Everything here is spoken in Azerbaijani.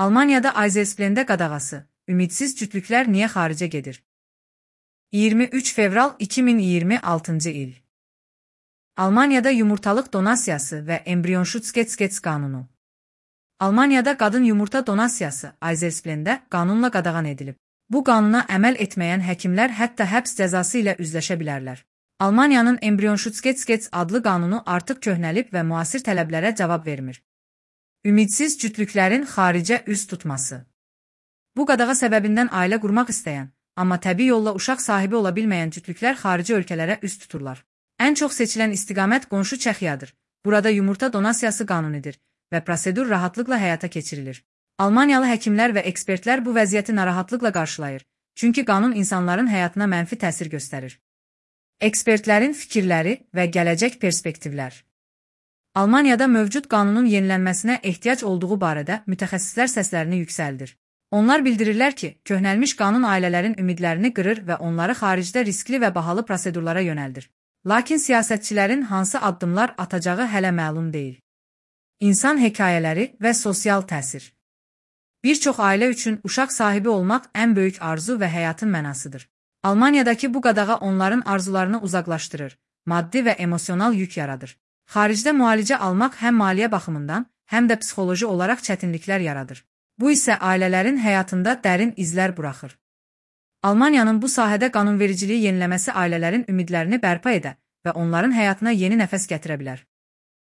Almaniyada Eisesplende qadağası, ümidsiz cütlüklər niyə xaricə gedir? 23 fevral 2026-cı il. Almaniyada yumurtalıq donasiyası və embrionşutsketzkets qanunu. Almaniyada qadın yumurta donasiyası Eisesplende qanunla qadağan edilib. Bu qanuna əməl etməyən həkimlər hətta həbs cəzası ilə üzləşə bilərlər. Almaniyanın embrionşutsketzkets adlı qanunu artıq köhnəlib və müasir tələblərə cavab vermir. Ümidsiz cütlüklərin xaricə üz tutması. Bu qadağa səbəbindən ailə qurmaq istəyən, amma təbii yolla uşaq sahibi ola bilməyən cütlüklər xarici ölkələrə üz tuturlar. Ən çox seçilən istiqamət qonşu Çexiyadır. Burada yumurta donasiyası qanunidir və prosedur rahatlıqla həyata keçirilir. Almaniyalı həkimlər və ekspertlər bu vəziyyəti narahatlıqla qarşılayır, çünki qanun insanların həyatına mənfi təsir göstərir. Ekspertlərin fikirləri və gələcək perspektivlər. Almaniyada mövcud qanunun yenilənməsinə ehtiyac olduğu barədə mütəxəssislər səslərini yüksəldir. Onlar bildirirlər ki, köhnəlmiş qanun ailələrin ümidlərini qırır və onları xaricdə riskli və bahalı prosedurlara yönəldir. Lakin siyasətçilərin hansı addımlar atacağı hələ məlum deyil. İnsan hekayələri və sosial təsir. Bir çox ailə üçün uşaq sahibi olmaq ən böyük arzu və həyatın mənasıdır. Almaniyadakı bu qadağa onların arzularını uzaqlaşdırır, maddi və emosional yük yaradır. Xaricdə müalicə almaq həm maliyyə baxımından, həm də psixoloji olaraq çətinliklər yaradır. Bu isə ailələrin həyatında dərin izlər buraxır. Almaniyanın bu sahədə qanunvericiliyi yeniləməsi ailələrin ümidlərini bərpa edə və onların həyatına yeni nəfəs gətirə bilər.